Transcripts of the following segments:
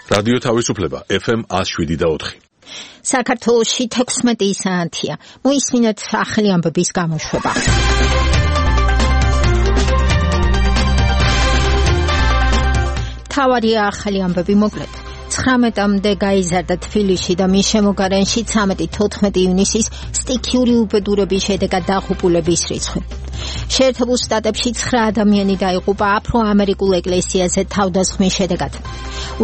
რადიო თავისუფლება FM 107.4. საქართველოში 16 საათია. მოისმინეთ ახალი ამბების გამოშვება. თავარია ახალი ამბები მოკლედ. 19-მდე გაიზარდა თბილისში და მის შემოგარენში 13-14 ივნისის სტიქიური უბედურების შედეგად დაღუპულების რიცხვი. შეერთებულ შტატებში 9 ადამიანი დაიღუპა აფრო-ამერიკულ ეკლესიაზე თავდასხმის შედეგად.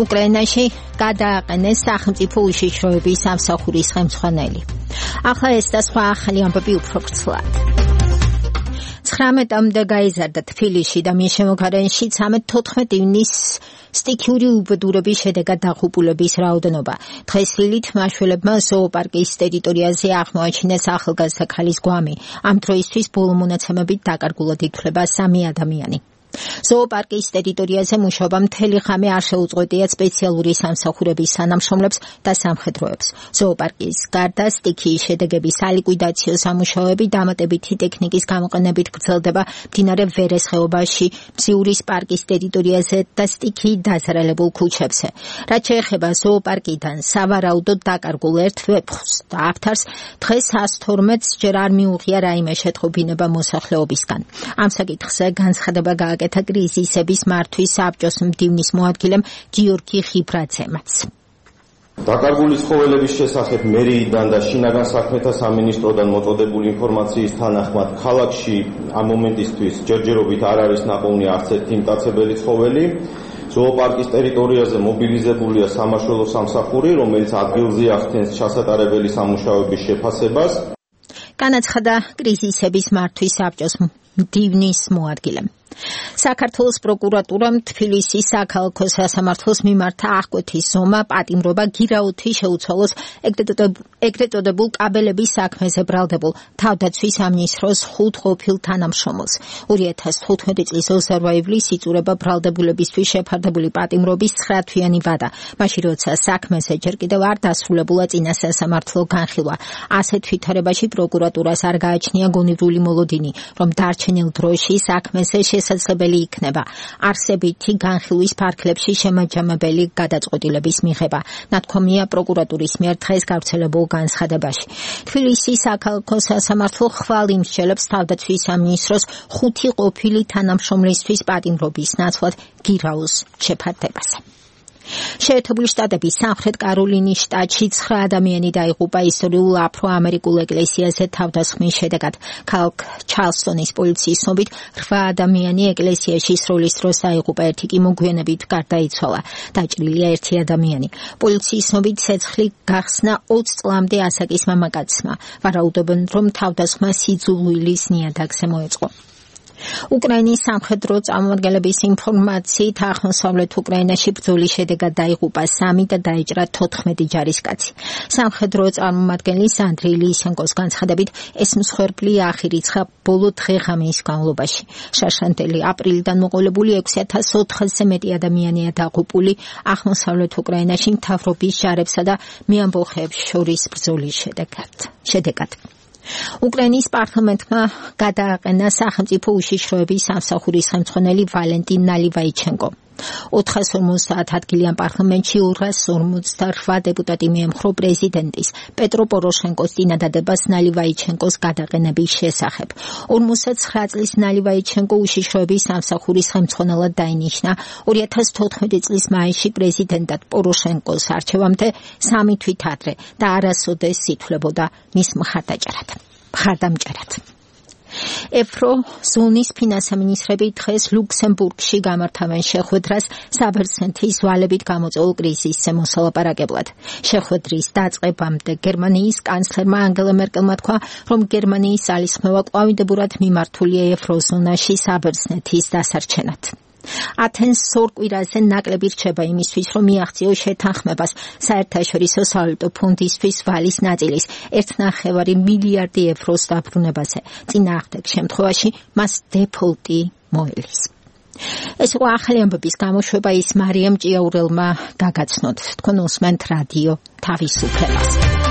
უკრაინაში გადააყენეს სახელმწიფო უშიშროების სამსახურის ხელმძღვანელი. ახლა ეს და სხვა ახალი ამბები უფრო ვრცლად. 19-მდე გაიზარდა თბილისში და მის შემოგარენში 13-14 ივნისის სტიქიური უბედურების შედეგად დაღუპულების რაოდენობა. დღეს ილით მაშველებმა ზოოპარკის ტერიტორიაზე აღმოაჩინეს ახალგაზრდა ქალის გვამი. ამ დროისთვის ბოლო მონაცემებით დაკარგულად ითვლება 3 ადამიანი. ზოოპარკის ტერიტორიაზე მუშაობა მთელი ღამე არ შეუწყვეტია სპეციალური სამსახურების თანამშრომლებს და სამხედროებს. ზოოპარკის გარდა სტიქიის შედეგების სალიკვიდაციო სამუშაოები დამატებითი ტექნიკის გამოყენებით გრძელდება მდინარე ვერეს ხეობაში, მზიურის პარკის ტერიტორიაზე და სტიქიით დაზარალებულ ქუჩებზე. რაც შეეხება ზოოპარკიდან სავარაუდოდ დაკარგულ ერთ ვეფხვს და აფთარს, დღეს 112-ს ჯერ არ მიუღია რაიმე შეტყობინება მოსახლეობისგან. ამ საკითხზე განცხადება გააკეთა კრიზისების მართვის საბჭოს მდივნის მოადგილემ გიორგი ხიბრაძემაც. დაკარგული ცხოველების შესახებ მერიიდან და შინაგან საქმეთა სამინისტროდან მოწოდებული ინფორმაციის თანახმად ქალაქში ამ მომენტისთვის ჯერჯერობით არ არის ნაპოვნი არც ერთი მტაცებელი ცხოველი. ზოოპარკის ტერიტორიაზე მობილიზებულია სამაშველო სამსახური, რომელიც ადგილზე ახდენს ჩასატარებელი სამუშაოების შეფასებას. განაცხადა კრიზისების მართვის საბჭოს მდივნის მოადგილემ. საქართველოს პროკურატურამ თბილისის საქალაქო სასამართლოს მიმართა აღკვეთის ზომა, პატიმრობა, გირაოთი შეუცვალოს ეგრეთ წოდებულ კაბელების საქმეზე ბრალდებულ თავდაცვის სამინისტროს 5 ყოფილ თანამშრომელს. 2015 წლის 28 ივლისს იწურება ბრალდებულებისთვის შეფარდებული პატიმრობის 9 თვიანი ვადა. მაშინ როცა საქმეზე ჯერ კიდევ არ დასრულებულა წინა სასამართლო განხილვა. ასეთ ვითარებაში პროკურატურას არ გააჩნია გონივრული მოლოდინი, რომ დარჩენილ დროში საქმეზე შესაძლებელი იქნება არსებითი განხილვის ფარგლებში შემაჯამებელი გადაწყვეტილების მიღება. ნათქვამია პროკურატურის მიერ დღეს გავრცელებულ განცხადებაში. თბილისის საქალაქო სასამართლო ხვალ იმსჯელებს თავდაცვის სამინისტროს 5 ყოფილი თანამშრომლისთვის პატიმრობის ნაცვლად გირაოს შეფარდებაზე. შეერთებული შტატების სამხრეთ კაროლინის შტატში 9 ადამიანი დაიღუპა ისტორიულ აფრო-ამერიკულ ეკლესიაზე თავდასხმის შედეგად. ქალაქ ჩარლსტონის პოლიციის ცნობით 8 ადამიანი ეკლესიაში სროლის დროს დაიღუპა, ერთი კი მოგვიანებით გარდაიცვალა. დაჭრილია 1 ადამიანი. პოლიციის ცნობით ცეცხლი გახსნა 20 წლამდე ასაკის მამაკაცმა. ვარაუდობენ, რომ თავდასხმა სიძულვილის ნიადაგზე მოეწყო. უკრაინის სამხედრო წარმომადგენლების ინფორმაციით აღმოსავლეთ უკრაინაში ბრძოლის შედეგად დაიღუპა 3 და დაიჭრა 14 ჯარისკაცი. სამხედრო წარმომადგენლის ანდრეი ლისენკოს განცხადებით, ეს მსხვერპლი აღირიცხა ბოლო დღე-ღამის განმავლობაში. შარშანტელი აპრილიდან მოყოლებული 6400-ზე მეტი ადამიანია დაღუპული აღმოსავლეთ უკრაინაში მთავრობის ჯარებსა და მეამბოხეებს შორის ბრძოლის შედეგად. უკრაინის პარლამენტმა გადააყენა სახელმწიფო უშიშროების სამსახურის ხელმძღვანელი ვალენტინ ნალივაიჩენკო. 450 ადგილიან პარლამენტში 258 დეპუტატი მიემხრო პრეზიდენტის პეტრო პოროშენკოს წინადადებას ნალივაიჩენკოს გადაყენების შესახებ. 59 წლის ნალივაიჩენკო უშიშროების სამსახურის ხელმძღვანელად დაინიშნა 2014 წლის მაისში პრეზიდენტად პოროშენკოს არჩევამდე 3 თვით ადრე და არასოდეს ითვლებოდა მის მხარდამჭერად. ევროზონის ფინანსამინისტრები დღეს ლუქსემბურგში გამართავენ შეხვედრას საბერძნეთის ვალებით გამოწვეულ კრიზისზე მოსალაპარაკებლად. შეხვედრის დაწყებამდე გერმანიის კანცლერმა ანგელა მერკელმა თქვა, რომ გერმანიის ძალისხმევა კვამიდებურად მიმართულია ევროზონაში საბერძნეთის დასარჩენად. ათენს ორ კვირაზე ნაკლები რჩება იმისთვის, რომ მიაღწიოს შეთანხმებას საერთაშორისო სავალუტო ფონდისთვის ვალის ნაწილის 1,9 მილიარდი ევროს დაბრუნებაზე. წინააღმდეგ შემთხვევაში მას დეფოლტი მოელის. ეს იყო ახალი ამბების გამოშვება, ის მარიამ ჭიაურელმა გაგაცნოთ. თქვენ უსმენთ რადიო თავისუფლებას.